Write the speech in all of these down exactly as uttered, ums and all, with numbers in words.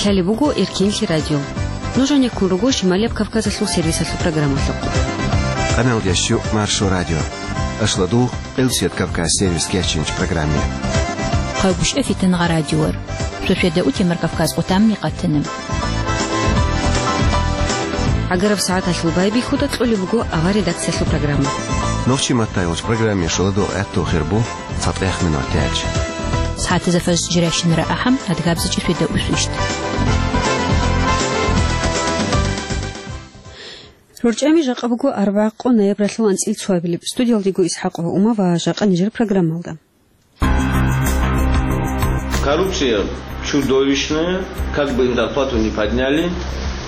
Лъалеб буго Эркенлъи радио. Нуж гьанеккун руго Шималияб Кавказалъул сервисалъул программалъухъ. Къаналдящу Маршо радио. Ашладу Къилсият Кавказ сервис кечинч программе. Хъагушев Фитангъа радиор. Шошеда утемар Кавказ къутамни къатанам. ГӀагараб сагӀаталъул байбихьуда кьолеб буго авар редакциялъул программа. Нохчи матайулч программе шоладу гӀатту хирбу. ЦатӀех минутач. СагӀатазда фажр жирашин рагӀахъам, адгабзичи феда усвишт. РорчӀами жакъа буго арбагӀ къо ноябралъул анцӀил цоабилеб. Студиялдего ИсхӀакъ ва Ума ва жакъа нижер программалда. Коррупция чудовищная, как бы им зарплату не подняли.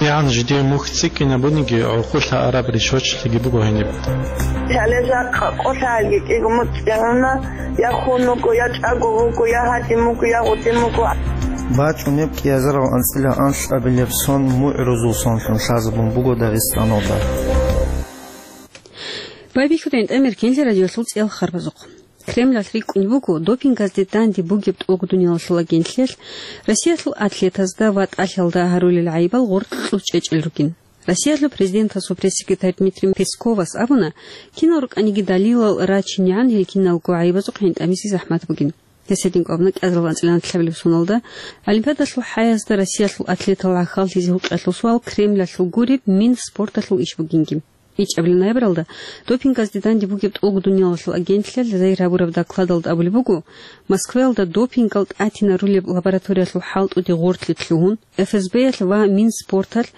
ЯгӀан жидее мухь цӀикӀкӀинабуниги, гӀурхъулъа араб ришвачилъиги буго гьениб. Гьале жакъа къолъаги кӀиго муцӀигӀуна, я хун вуго, я чӀаго вуго, я гьадин вуго, я гъудин вуго. БачӀунеб кӀиазарав анцӀила анлъабилеб сон мугӀрузул сонлъун лъазабун буго Дагъистаналда. Байбихьуда гӀинтӀамер Эркенлъи радиолъул цӀиял харбазухъ. Кремлалъ рикӀкӀунеб буго, допингазде данде бугеб тӀолго дуниялалъул агентлъиялъ Россиялъул атлетазда ва тӀалъиялда гьарулел гӀайибал гъоркь кьучӀечӀел ругин. Россиялъул президентасул пресс-секретарь Дмитрий Песковас абуна, кинал рукӀаниги далилал рачинегӀан гьел киналго гӀайибазухъ гӀинтӀамизе захӀмат бугин. Гьес гьединго абуна кӀиазарал анцӀила анлъабилеб соналда Олимпиадалъул хӀаязда Россиялъул атлетал гӀахьаллъизе гьукъиялъул суал Кремлалъул гуреб Минспорталъул иш бугинги. ИчӀабилеб ноябралда допингазде данде бугеб тӀолго дуниялалъул агентлъиялъ зайир гьабураб докладалда абулеб буго, Москваялда допингал тӀатинарулеб лабораториялъул хӀалтӀуде гъорлъе лъугьун, ФСБ-ялъ ва Минспорталъ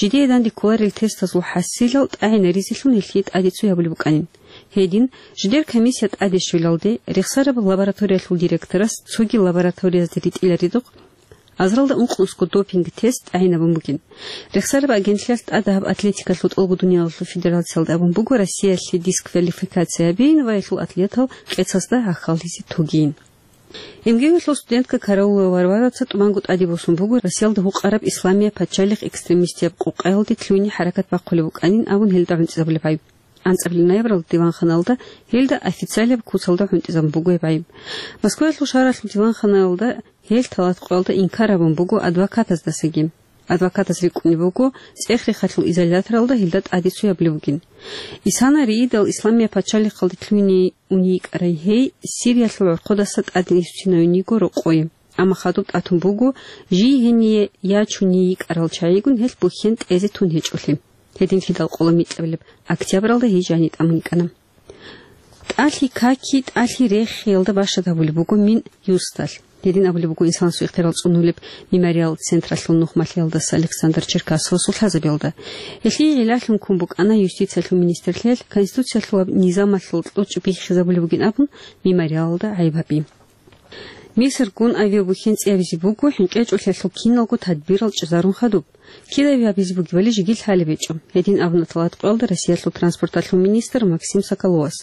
жидее данде кколарел тестазул хӀасилал тӀагӀинаризелъун гьелъие тӀаде цо гьабулеб букӀанин. Гьедин, жидер комиссия тӀаде щвелалде, рехсараб лабораториялъул директорас цоги лабораториязде ритӀиларедухъ, азаралда ункънусго допинг-тест тӀагӀинабун бугин. Рехсараб агентлъиялъ тӀадагьаб атлетикалъул тӀолго дуниялалъул федерациялда абун буго Россиялъе дисквалификация гьабеян ва гьелъул атлетал къецасда гьахьаллъизе тогейин. МГУ-ялъул студентка Караулова Варвараца тӀубанго тӀаде босун буго Россиялда гьукъараб исламияб пачалихъ экстремистияб къокъаялде лъугьине хӀаракат бахъулеб букӀанин абун гьелда гӀунтӀизабулеб гӀайиб. АнцӀабилеб ноябралда диванханалда гьелда официалияб куцалда гӀунтӀизабун буго гьеб гӀайиб. Москваялъул шагьаралъул диванханалда гьел тӀалатӀа къоялда инкар гьабун буго адвокатаздасаги. Адвокатас рикӀкӀунеб буго, цӀех-рехалъул изоляторалда гьелда тӀаде цо гьабулеб бугин. Исана риидал исламияб пачалихъалде лъугьине уней йикӀарай гьей Сириялъул гӀорхъодаса тӀаде иссинавин йиго рокъое. Амма хадуб тӀатун буго, жий гьение ячуней йикӀарал чагӀигун гьелъ бухьен тӀезе тун гьечӀолъи. Гьединлъидал къоло микьабилеб октябралда гьей жани тӀамун йикӀана. ТӀалъи каки, тӀалъи рехиялда башат гьабулеб буго Минюсталъ. Гьедин абулеб буго инсанасул ихтияр цӀунулеб Мемориал централъул нухмалъиялдаса Александр Черкасовасул лъазабиялда. Гьелъие гӀиллалъун ккун букӀана юстициялъул министрлъиялъ, конституциялъулаб низамалъул кьучӀ биххизабулеб бугин абун, Мемориалалда гӀайиб гьаби. Мисргун авиабухьен цӀиябизе буго хӀинкъичӀолъиялъул киналго тадбирал чӀезарун хадуб. Кида авиабизе бугебали жеги лъалеб гьечӀо, гьедин абуна тӀалатӀа къоялда Россиялъул транспорталъул министр Максим Соколовас.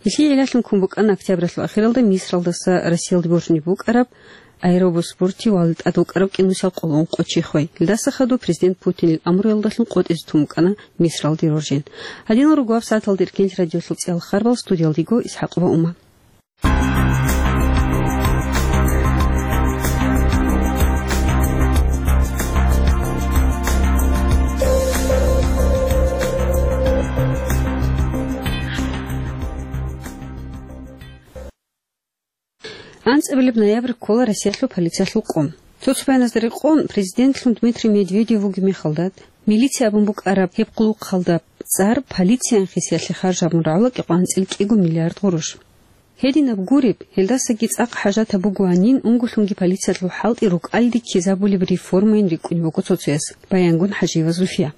Гьелъие гӀиллалъун ккун букӀана октябралъул ахиралда Мисралдаса Россиялде боржунеб букӀараб аэробус бортив валил тӀадвукӀараб кӀинусиялда къоло ункъо чи хвей. Гьелдаса хадуб президент Путинил амруялдалъун къотӀизе тун букӀана Мисралде роржен. Гьадинал руго гьабсагӀаталда Эркенлъи радиолъул цӀиял харбал, студиялдего ИсхӀакъова Ума. АнцӀабилеб ноябрь ккола Россиялъул полициялъул къо. Цо-цо баяназда рекъон, президентлъун Дмитрий Медведев вугеб мехалда, милиция абун букӀараб гьеб къулухъалда цӀар полициян хисиялъе харж гьабун рагӀула кӀикъоялда анцӀила кӀиго миллиард гъурущ. Гьединаб гуреб, гьелдасаги цӀакъ хӀажатаб бугоанин, унголъунги полициялъул хӀалтӀи рукӀалде ккезабулеб реформайин рикӀкӀунеб буго цо-цояс, баянгун ХӀажиева Зульфия.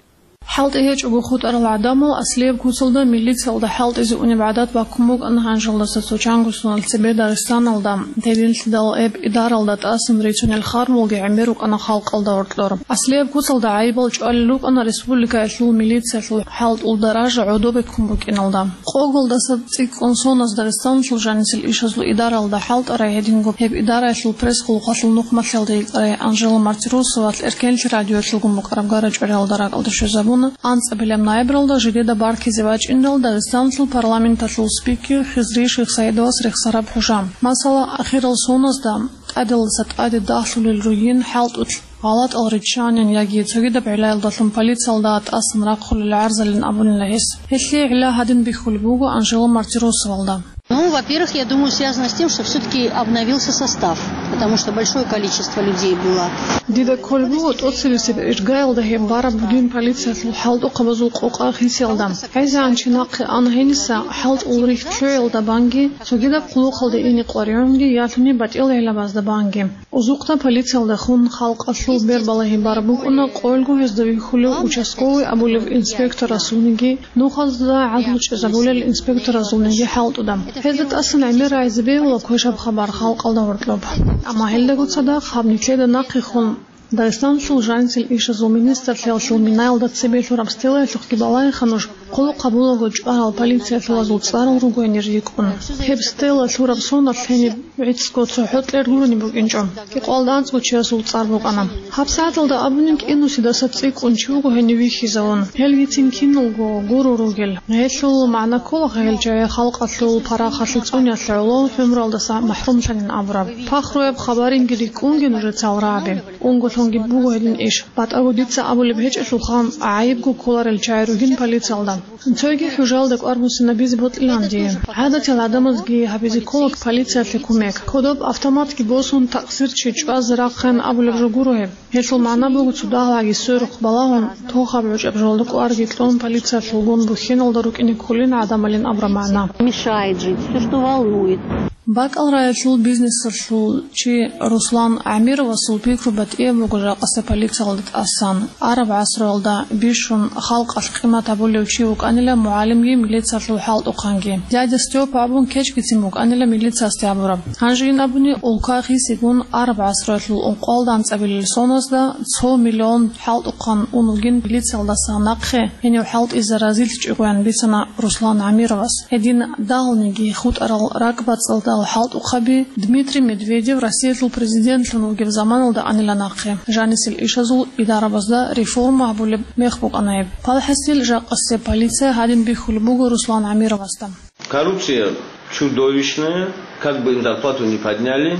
ХӀалтӀи гьечӀого хутӀарал гӀадамал аслияб куцалда милициялда хӀалтӀизе унеб гӀадат баккун букӀана гьанжалдаса цо чанго соналъ цебе Дагъистаналда. Гьединлъидал гьеб идаралда тӀасан рицунел харбалги гӀемер рукӀана халкъалда гьоркьор. Аслияб куцалда гӀайибал чӀвалел рукӀана республикаялъул милициялъул хӀалтӀул даража гӀодобе ккун букӀиналда. Къоголдаса цӀикӀкӀун соналъ Дагъистаналъул жанисел ишазул идаралда хӀалтӀарай гьединго гьеб идараялъул пресс-къулухъалъул нухмалъиялда йикӀарай Анжела Мартиросовалъ Эркенлъи радиоялъулгун букӀараб гара-чӀвариялда ракӀалде щвезабуна. АнцӀабилеб ноябралда жидеда баркизе бачӀиндал Дагъистаналъул парламенталъул спикер Хизри Шихсаидовас рехсараб хӀужа. Масала, ахирал соналда тӀадегӀлдаса тӀаде дагьлъулел ругин хӀалтӀулъ гъалатӀал риччанин яги цогидаб гӀиллаялдалъун полициялда тӀасан рахъулел гӀарзалин абунила гьес. Гьелъие гӀилла гьадин бихьулеб буго Анжела Мартиросовалда. Ну, во-первых, я думаю, связано с тем, что всё-таки обновился состав, потому что большое количество людей было. Дида кколеб буго тӀоцебесеб иргаялда гьеб бараб бугин полициялъул хӀалтӀухъабазул къокъа хисиялда. ГӀезегӀан чи нахъе ана гьениса хӀалтӀул рихьчоялда банги, цогидаб хъулухъалде ине къваригӀунги ялъуни батӀиял гӀиллабазда банги. Узухъда полициялдехун халкъалъул бербалагьи бараб букӀуна къоялго гьезда вихьулев участковый абулев инспекторасулниги, нухазда гӀадлу чӀезабулел инспекторазулниги хӀалтӀуда. Гьезда тӀасан гӀемер рагӀизе бегьула квешаб хабар халкъалда гьоркьоб. Амма гьелдаго цадахъ гьаб нилъеда нахъехун Дагъистаналъул жанисел ишазул министрлъиялъул минаялда цебе лъураб стелаялъухъги балагьеха нуж, хъулухъ гьабулаго чӀварал полициялъулазул цӀарал руго гьенир рикӀкӀун. Гьеб стела лъураб соналъ гьениб гӀицӀго цохӀо кьер гурони букӀинчӀо. Кьикъоялда анцӀго чиясул цӀар букӀана. ГьабсагӀаталда абунин кӀинусидаса цӀикӀкӀун чи вуго гьенив вихьизавун. Гьелгицин киналго гуро ругел. Гьелъул магӀна ккола гьел чагӀи халкъалъул парахалъе цӀуниялъе гӀоло гӀумруялдаса махӀрумлъанин абураб. Пахруяб хабаринги рикӀкӀунги нужецал рагӀаби. Унго лъунги буго гьедин иш. БатӀаго дица абулеб гьечӀелъулха, гӀайибго кколарел чагӀи ругин полициялда. Цойги хӀужалда кӀвар буссинабизе бокьилан дие. ГӀадатиял гӀадамазги гьабизе ккола полициялъе кумек. Кодоб автоматги босун, такъсир чи чӀвазе рахъин абулеб жо гуро гьеб. Гьелъул магӀна буго цо дагьабги сверухъ балагьун, тохаб гӀучӀаб жолда кӀварги кьун, полициялъулгун бухьиналда рукӀине кколин гӀадамалин абураб магӀна. Мешает жить, всё, что волнует. БакӀал рагӀилъул бизнесалъул чи Руслан ГӀамировасул пикру батӀияб буго жакъасеб полициялда тӀасан. Араб гӀасруялда бищун халкъалъ къимат гьабулев чи вукӀанила мугӀалимги милициялъул хӀалтӀухъанги. Дядя Степа абун кечгицин букӀанила милициясде абураб. Гьанжеян абуни, улка хисигун араб гӀасруялъул ункъоялда анцӀабилел соназда цо миллион хӀалтӀухъан ун вугин милициялдаса нахъе гьенив хӀалтӀизе разилъичӀогоян бицана Руслан ГӀамировас. Гьедин дагьалниги хутӀарал ракӀбацӀцӀадал хӀалтӀухъаби Дмитрий Медведев Россиялъул президентлъун вугеб заманалда анила нахъе. Жанисел ишазул идарабазда реформа гьабулеб мех букӀана гьеб. Палхасил жакъасеб полиция гьадин бихьулеб буго Руслан ГӀамировасда. Коррупция чудовищная, как бы им зарплату не подняли.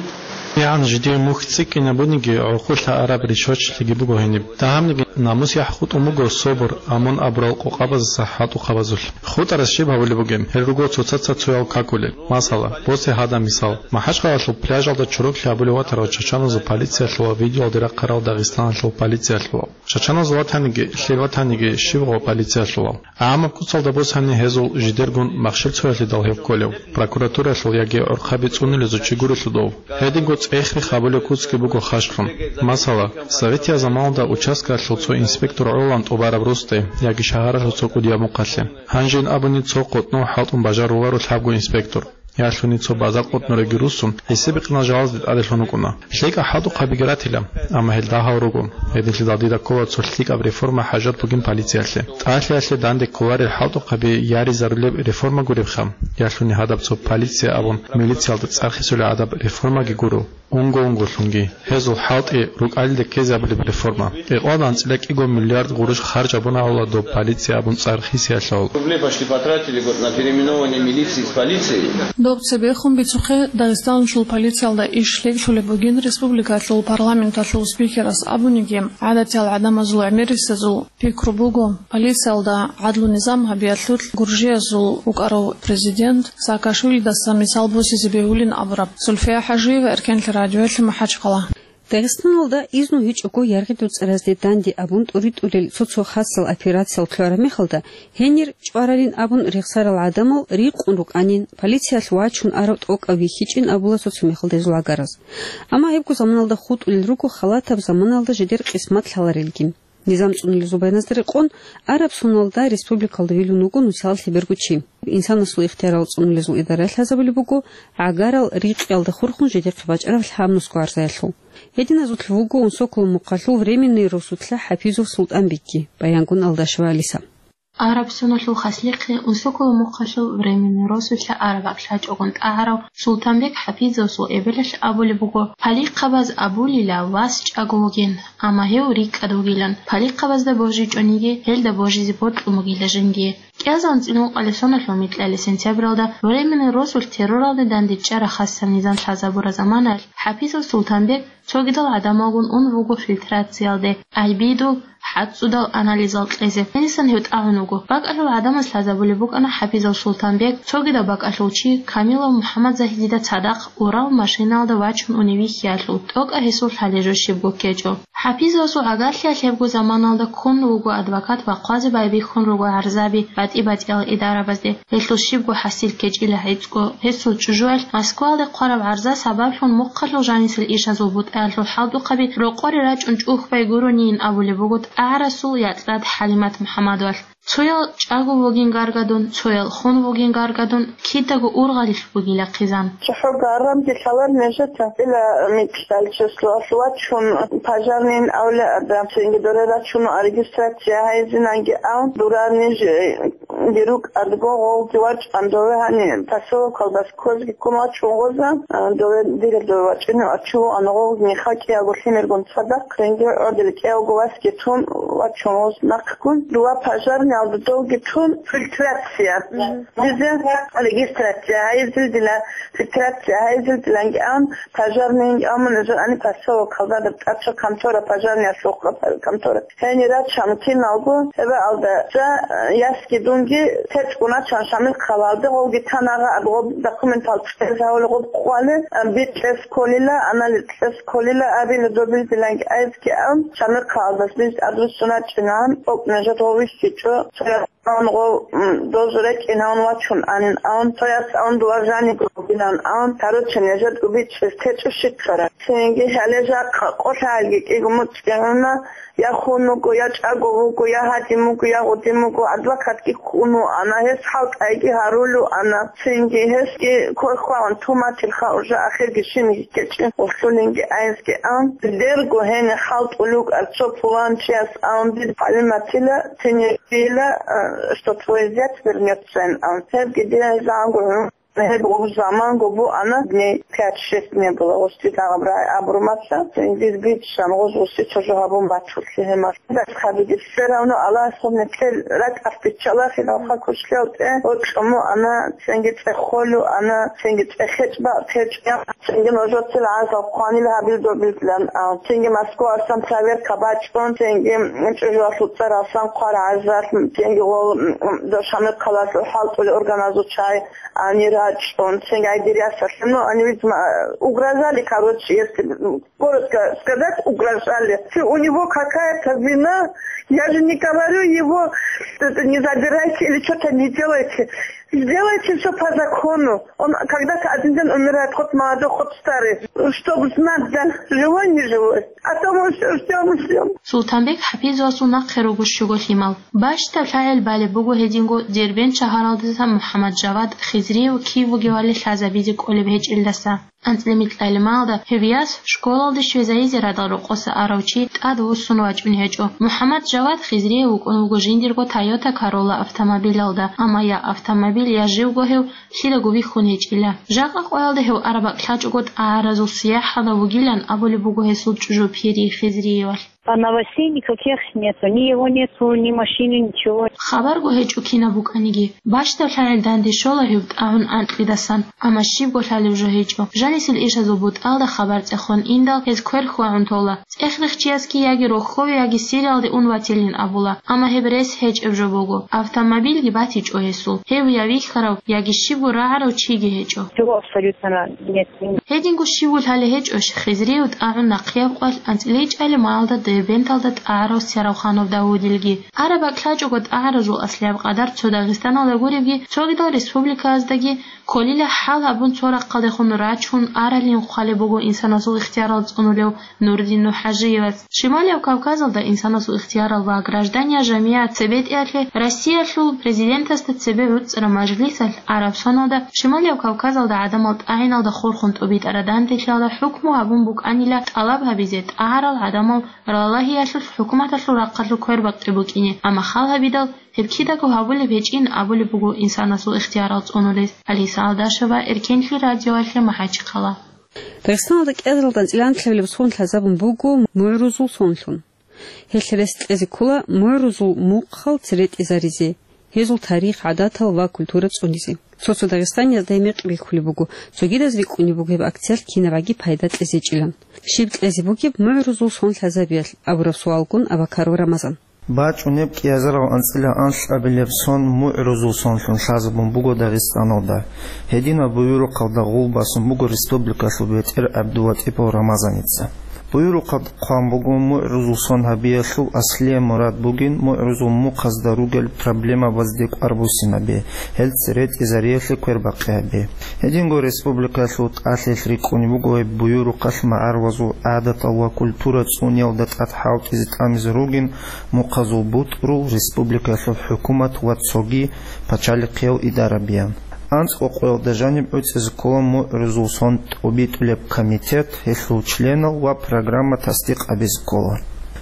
КигӀан жидее мухь цӀикӀкӀинабуниги, гӀурхъулъа араб риччочилъиги буго гьениб. Дагьабниги намус-яхӀ хутӀун буго собур, амун абурал къокъабазаса хӀалтӀухъабазулъ. ХутӀарас щиб гьабулеб бугеб? Гьел руго цоцаца цоял какулел. Масала, босе гьадаб мисал. МахӀачхъалалъул пляжалда чороклъи гьабулев ватарал чачаназул полициялъувал видеоялде рахъарал Дагъистаналъул полициялъувал. Чачаназул ватаниги, лъил ватаниги щиб гъо полициялъувал. ГӀамаб куцалда босани гьезул жидергун махщел цоялъидал гьеб кколев, прокуратуралъул яги гӀурхъаби цӀунулезул чи гурелъул дов. Гьединго цӀех-рех гьабулеб куцги буго хашхун. Масала, советиял заманалда участкаялъул цо инспектор гӀолан тӀубараб росде яги шагьаралъул цо кӀудияб мухъалъе. Гьанжин абуни цо къотӀнов хӀалтӀун бажаруларо лъабго инспектор. Ялъуни цо базар къотӀнуреги руссун, гьесие бикъинал жалазде тӀаделъун рукӀуна. ЛъикӀаб хӀалтӀухъабиги ратила, амма гьел дагьал руго. Гьединлъидал дида ккола цо лъикӀаб реформа хӀажат бугин полициялъе. ТӀалъиялъе данде кколарел хӀалтӀухъаби яризарулеб реформа гуребха, ялъуни гьадаб цо полиция абун милициялда цӀар хисулеб гӀадаб реформаги гуро. Унго-унголъунги гьезул хӀалтӀи рукӀалилде ккезе абулеб реформа. Кьикъоялда анцӀила кӀиго миллиард гъурущ харж гьабуна гьавла доб полиция абун цӀар хисиялъул. Рублей почти потратили год на переименование милиции с полицией. Доб цебехун бицухъе Дагъистаналъул полициялда иш лъикӀлъулеб бугин республикалъул парламенталъул спикерас абуниги, гӀадатиял гӀадамазул гӀемерисезул пикру буго, полициялда гӀадлу-низам гьабиялъулъ гуржиязул вукӀарав президент Саакашвилидаса мисал босизе бегьулин абураб. Зульфия ХӀажиева, Эркенлъи радиоялъе, МахӀачхъала. Дагъистаналда изну гьечӀого яргъидул цӀаразде данде абун тӀуритӀулел цо-цо хасал операциялъ ккараб мехалда, гьенир чӀваралин абун рехсарал гӀадамал рикъун рукӀанин, полициялъ вачун арав тӀокӀав вихьичӀин абула цо-цо мехалда гьезул гӀагараз. Амма гьебго заманалда хутӀулел руго халатаб заманалда жидер къисмат лъаларелги. Низам цӀунулезул байбаразда рекъон, араб соналда республикалда вилун вуго нусиялъе бергучи. Инсанасул ихтиярал цӀунулезул идараялъ лъазабулеб буго гӀагарал рикъиялда хурхун жидехъе бачӀараб лъабнусго гӀарзаялъул. Гьединазулъ вуго Унсоколо мухъалъул временный росулъа ХӀапизов Султанбекги, Баянгун Алдашева Алиса. Араб соналъул хаслихъе Унсоколо мухъалъул временный росулъа араб гӀаклъачӀогун тӀагӀарав Султанбек ХӀапизовасул эбелалъ абулеб буго, палихъабаз абулила вас чӀаго вугин, амма гьев рикӀкӀад вугилан, палихъабазда божичӀониги, гьелда божизе бокьун бугила жиндие. КӀиазда анцӀила ункъоялда соналъул микьалъ сентябралда Временный росулъ терроралде дандечӀараб хасаб низам лъазабураб заманалъ ХӀапизов Султанбек цогидал гӀадамалгун ун вуго фильтрациялде, альбидул, хӀацӀцӀудал анализал кьезе. Гьенисан гьев тӀагӀун вуго. БакӀалъул гӀадамаз лъазабулеб букӀана ХӀапизов Султанбек, цогидаб бакӀалъулчи Камилов МухӀаммадзагьидида цадахъ урал машинаялда вачун унев вихьиялъул, тӀокӀаб гьесул лъалеб жо щибго ккечӀо. ХӀапизовасул гӀагарлъиялъ гьебго заманалда ккун вуго адвокат ва хъвазе байбихьун руго гӀарзаби батӀи-батӀиял идарабазде. Гьелъул щибго хӀасил ккечӀила гӀицӀго. Гьесул чӀужуялъ Москваялде хъвараб гӀарза сабаблъун мухъалъул жанисел ишазул бутӀаялъул хӀалтӀухъаби рокъоре рачӀун чӀухӀбай гуронин абулеб буго тӀагӀарасул якьад ХӀалимат МухӀаммадовалъ. Цоял чӀаго вугин гаргадун, цоял хун вугин гаргадун, кидаго ургъалилъ бугила хъизан. ЦохӀо гаргадги лъалар нижеца, ила микьдал числоялъ вачун, пожарныйин авлияда, цинги доре рачун регистрация гьайзинанги ан, дура ниж Гьеб рукӀадго гъовги вачӀан дове гьаниб поселокалдаса кквезги ккун вачун гъоза, а, дове диреб дове вачӀине вачуго ана гъовги мехалъ кӀиялго лъимергун цадахъ, цинги гӀодил кӀиявго васги тун вачун гъоз нахъгун, дова пожарниялда довги тун фильтрация. Мгм. Дизе регистрация гьайзил дила фильтрация гьайзил диланги ан, пожарныйинги амун эзо ани поселокалда даб тӀача контора, пожарниялъухъа контора. Гьенир рачун киналго, гьебаалда, жа, э, ясги дунги течӀгун рачун Шамил хъалалде, гъовги тан агъа аб гъоб документал цӀез гьавули гъоб хъвале, э, бичӀчӀес кколила, анализ кьес кколила абила добилдиланги айзги ан, Шамил хъалалдас диж адрес сунарчӀинан, тӀокӀ нижер гъов вихьичӀо, цоял ан гъов, м, дозу рекӀинавун вачун анин ан, цояс ан дова жаниб гъовгилан ан, короче, нижер тӀубичӀчӀес течӀо щиккараб. Цинги гьале жакъа къолъаялги кӀиго муцӀигӀуна, я хун вуго, я чӀаго вуго, я гьадин вуго, я гъудин вуго, адвокатги хьун вуана, гьес хӀалтӀайги гьарулев ана. Цинги гьесги квер хвагӀун туматил ха уже ахирги шинги ккечӀин, гъулъулинги айзги ан. Дерго гьенир хӀалтӀулев вукӀар цо пуланчияс ан, дир ХӀалиматила цинги дила, э, что твой зять вернётся ан. Гьебги дие загӀанго гьун. Гьеб гъуж заманго буана, дней пять-шесть не было, гъусти дагъаб рагӀи абурмаса, дир бичӀчӀан гъуж гъусти чӀужу гьабун бачулъи гьемалъ. Дас хабиги, все равно Аллагьас гьеб нилъер ракӀалъ биччалахъе, гьалха кушлъиялтӀе, гъоркьому ана, цинги цӀехолу ана, цинги цӀехечӀ бакъ течӀ, цинги нужецил гӀазаб хъванил гьабил добилан, а, цинги Москваялдасан проверка бачӀун, цинги чӀужуялъул цӀаралсан хъвар гӀазалъ, цинги гъол, м, м, Шамил хъалалъул хӀалтӀулел органазул чагӀи ани рачӀун, цинги гьай дир ясалъе, ну, они, видимо, угрожали, короче, если, м, коротко сказать, угрожали. Если у него какая-то вина, я же не говорю его, что это не забирайте или что-то не делайте. Сделайте всё по закону. Он когда-то один день умирает, хоть молодой, хоть старый. Чтоб знать, да, живой, не живой. А то мы всё ждём и ждём. Султанбек ХӀапизовасул нахъе руго щуго лъимал. Бащдаб лъагӀел балеб буго гьединго Дербент шагьаралдаса МухӀаммад Жавад Хизриев кив вугевали лъазабизе кӀолеб гьечӀелдаса. АнцӀила микьалималда гьев яс школалде щвезайизе радал рокъоса арав чи тӀад вуссун вачӀун гьечӀо. МухӀаммад Жавад Хизриев вукӀун вуго жиндирго Toyota Corolla автомобилалда, амма я автомобиль, я живго гьев лъидаго вихьун гьечӀила. Жакъа къоялда гьев араб бакӀ лъачӀого тӀагӀаразул сияхӀалда вугилан абулеб буго гьесул чӀужу Пири Хизриевалъ. А новостей никаких нету, ни его нету, ни машины, ничего. Хабарго гьечӀо кинаб букӀаниги. Бащдаб лъагӀел данде щола гьев тӀагӀун анкьидасан, амма щибго лъалеб жо гьечӀо. Жанисел ишазул бутӀалда хабар цӀехон индал гьез квер хьвагӀун тола. ЦӀех-рехчиясги яги рохьове, яги Сириялде ун ватилин абула, амма гьеб рес гьечӀеб жо буго. Автомобильги батичӀо гьесул. Гьев я вихьарав, яги щибго рагӀарав чиги гьечӀо. Всего абсолютно нет. Гьединго щивго лъалеб гьечӀо Хизриев тӀагӀун нахъияб къоялъ анцӀила ичӀалималда Дербенталда тӀагӀарав Саравханов Давудилги. Араб бакӀ лъачӀого тӀагӀаразул аслияб къадар цо Дагъистаналда гуребги, цогидал республикаяздаги кколила, хӀал гьабун цо рахъалдехун рачун аралин хъвалеб буго инсанасул ихтиярал цӀунулев Нурдин НухӀажиевас. Шималияб Кавказалда инсанасул ихтиярал ва граждания жамигӀат цебетӀиялъе Россиялъул Президентасда цебе гӀуцӀараб мажлисалъ араб соналда Шималияб Кавказалда гӀадамал тӀагӀиналда хурхун тӀубитӀараб данделъиялда хӀукму гьабун букӀанила тӀалаб гьабизе тӀагӀарал гӀадамал ралагьиялъулъ хӀукуматалъул рахъалъулъ квербакъи букӀине, амма хал гьабидал, гьеб кидаго гьабулеб гьечӀин абулеб буго инсанасул ихтиярал цӀунулес. Алиса Алдашева, Эркенлъи радиоялъе, МахӀачхъала. Дагъистаналда кӀиазаралда анцӀила анкьабилеб сон лъазабун буго мугӀрузул сонлъун. Гьелъ рес кьезе ккола мугӀрузул мухъал церетӀизаризе. гьезул тарих, гӀадатал ва культура цӀунизе. Цо-цо дагъистаниязда гьеб мекъи бихьулеб буго, цогидаз рикӀкӀунеб буго гьеб акциялъ кинабаги пайда кьезе гьечӀилан. Щиб кьезе бугеб мугӀрузул сон лъазабиялъ абураб суалгун Абакаров Рамазан. БачӀунеб кӀиазарав анцӀила анлъабилеб сон мугӀрузул сонлъун лъазабун буго Дагъистаналда. Гьединаб буюрухъалда гъул басун буго республикалъул бетӀер ГӀабдулатӀипов Рамазаница. Буюрухъалда хъван буго, мугӀрузул сон гьабиялъул аслияб мурад бугин мугӀрузул мухъазда ругел проблемабазде кӀвар буссинаби, гьел цере тӀезариялъе квербахъи гьаби. Гьединго республикалъул тӀалъиялъ рикӀкӀунеб буго гьеб буюрухъалъ магӀарулазул гӀадатал ва культура цӀуниялда тӀад хӀалтӀизе тӀамизе ругин мухъазул бутӀрул, республикалъул хӀукумат ва цоги пачалихъиял идарабиян. АнцӀго къоялда жаниб гӀуцӀизе ккола мугӀрузул сон тӀобитӀулеб комитет, гьелъул членал ва программа тасдикъ гьабизе ккола.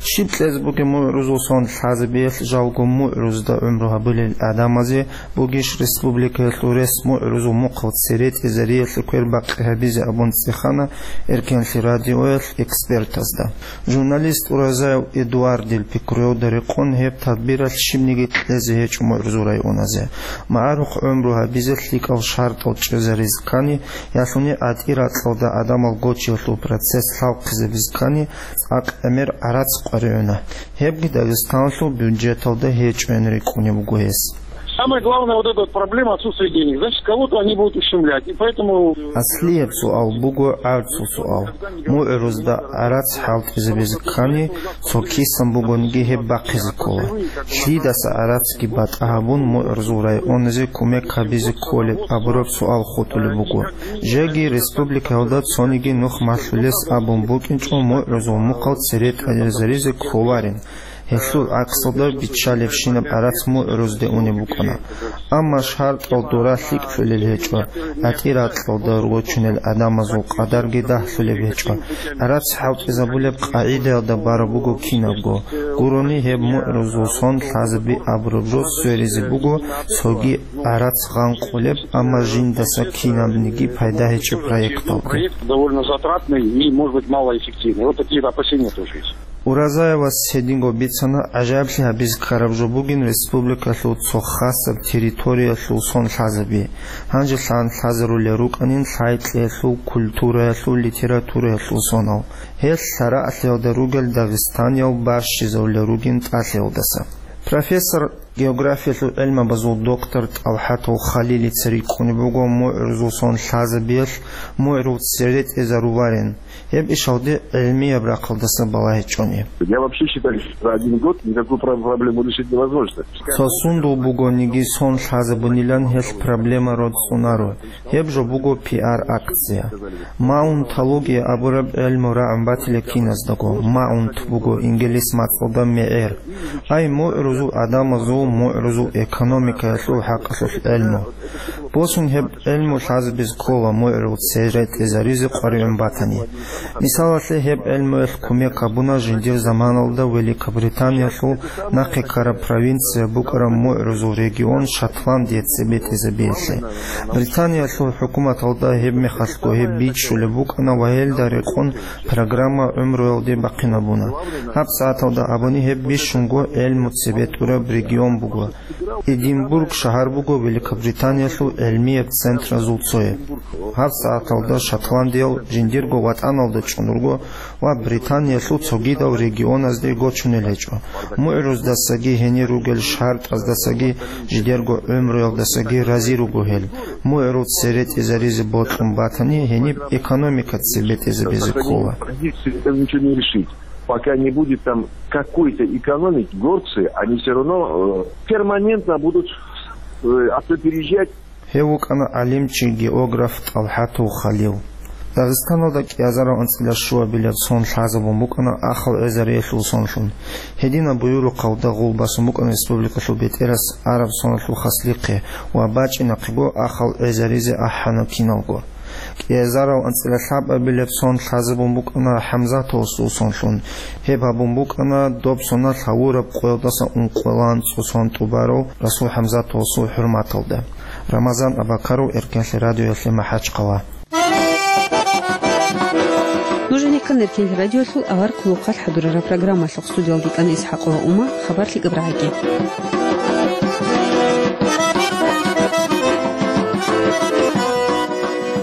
Щиб кьезе бугеб мугӀрузул сон лъазабиялъ жалго мугӀрузда гӀумру гьабулел гӀадамазе бугищ республикаялъул рес мугӀрузул мухъал цере тӀезариялъе квербахъи гьабизе абун цӀехана Эркенлъи радиоялъ экспертазда. Журналист Уразаев Эдуардил пикруялда рекъон гьеб тадбиралъ щибниги кьезе гьечӀо мугӀрузул районазе. МагӀарухъ гӀумру гьабизе лъикӀал шартӀал чӀезаризе ккани, ялъуни гӀатӀи-ракьалда гӀадамал гочиялъул процесс лъалхъизабизе ккани, цӀакъ гӀемер гӀарац къваригӀуна. Гьебги Дагъистаналъул бюджеталда гьечӀоян рикӀкӀунеб буго гьес. Самая главная вот эта вот проблема — отсутствие денег. Значит, кого-то они будут ущемлять. И поэтому... Аслияб суал буго гӀарцул суал. МугӀрузда гӀарац хӀалтӀизабизе ккани, цо кисан бугониги гьеб бахъизе ккола. Лъидаса гӀарацги батӀа гьабун, мугӀрузул районазе кумек гьабизе кколеб абураб суал хутӀулеб буго. Жеги республикаялда цониги нух малъулес абун букӀинчӀо мугӀрузул мухъал цере тӀезаризе кколарин. Гьелъул гӀаксалда биччалебщинаб гӀарац мугӀрузде унеб букӀана. Амма шартӀал дора лъикӀлъулел гьечӀо, гӀатӀи-ракьалда рочунел гӀадамазул къадарги дагьлъулеб гьечӀо, гӀарац хӀалтӀизабулеб къагӀидаялда бараб буго кинабго. Гурони гьеб мугӀрузул сон лъазаби абураб жо сверизе буго цоги гӀарац гъанкъулеб, амма жиндаса кинабниги пайда гьечӀеб проекталда. Проект довольно затратный и, может быть, малоэффективный. Вот такие опасения тоже есть. Уразаевас гьединго бицана, гӀажаиблъи гьабизе ккараб жо бугин республикалъул цо хасаб территориялъул сон лъазаби. Гьанже лъан лъазарулел рукӀанин лъай-кьеялъул, культураялъул, литератураялъул сонал. Гьел лъараалъиялда ругел дагъистаниял бащизавулел ругин тӀалъиялдаса. Профессор, географиялъул гӀелмабазул доктор ТӀалхӀатов Халилица рикӀкӀунеб буго мугӀрузул сон лъазабиялъ мугӀрул цере тӀезаруларин. Гьеб ишалде гӀилмияб рахъалдаса балагьичӀони. Я вообще считаю, что за один год никакую про-, проблему решить невозможно. Цо сундул бугониги сон лъазабунилан гьелъ проблема рорцӀунаро. Гьеб жо буго пиар-акция. Маунтология абураб гӀелму рагӀун батила киназдаго. Маунт буго инглис мацӀалда мегӀер. Ай, мугӀрузул гӀадамазул, мугӀрузул экономикаялъул хӀакъалъулъ гӀелму. Босун гьеб гӀелму лъазабизе ккола мугӀрул цере тӀезаризе къваригӀун батани. Мисалалъе, гьеб гӀелмуялъ кумек гьабуна жиндир заманалда Великобританиялъул нахъе ккараб провинция букӀараб мугӀрузул регион Шотландия цебетӀезабиялъе. Британиялъул хӀукуматалда гьеб мехалъго гьеб бичӀчӀулеб букӀана ва гьелда рекъон программа гӀумруялде бахъинабуна. ГьабсагӀаталда абуни гьеб бищунго гӀелму цебетӀураб регион буго. Эдинбург шагьар буго Великобританиялъул гӀилмияб центразул цояб. ГьабсагӀаталда шотландиял жиндирго ватӀаналда чӀун руго ва Британиялъул цогидал регионазде гочунел гьечӀо. МугӀруздасаги гьенир ругел шартӀаздасаги жидерго гӀумруялдасаги рази руго гьел. МугӀрул цере тӀезаризе бокьун батани, гьениб экономика цебетӀезабизе ккола. Ничего не решить. Пока не будет там какой-то экономики, горцы, они всё равно, э, перманентно будут, э, оттуда переезжать. Гьев вукӀана гӀалимчи, географ ТӀалхӀатов Халил. Дагъистаналда кӀиазарав анцӀила щуабилеб сон лъазабун букӀана ахал гӀезариялъул сонлъун. Гьединаб буюрухъалда гъул басун букӀана республикалъул бетӀерас араб соналъул хаслихъе ва бачӀинахъего ахал гӀезаризе ахӀана киналго. КӀиазарав анцӀила лъабабилеб сон лъазабун букӀана ХӀамзатовасул сонлъун. Гьеб гьабун букӀана доб соналъ гьавураб къоялдаса ункъоялда анцӀго сон тӀубарав Расул ХӀамзатовасул хӀурматалда. Рамазан Абакаров, Эркенлъи радиоялъе, МахӀачхъала. Нуж гьенеккан Эркенлъи радиоялъул авар хъулухъалъ хӀадурараб программалъухъ. Студиялги ккана ИсхӀакъова Ума, хабар лъикӀаб рагӀаги.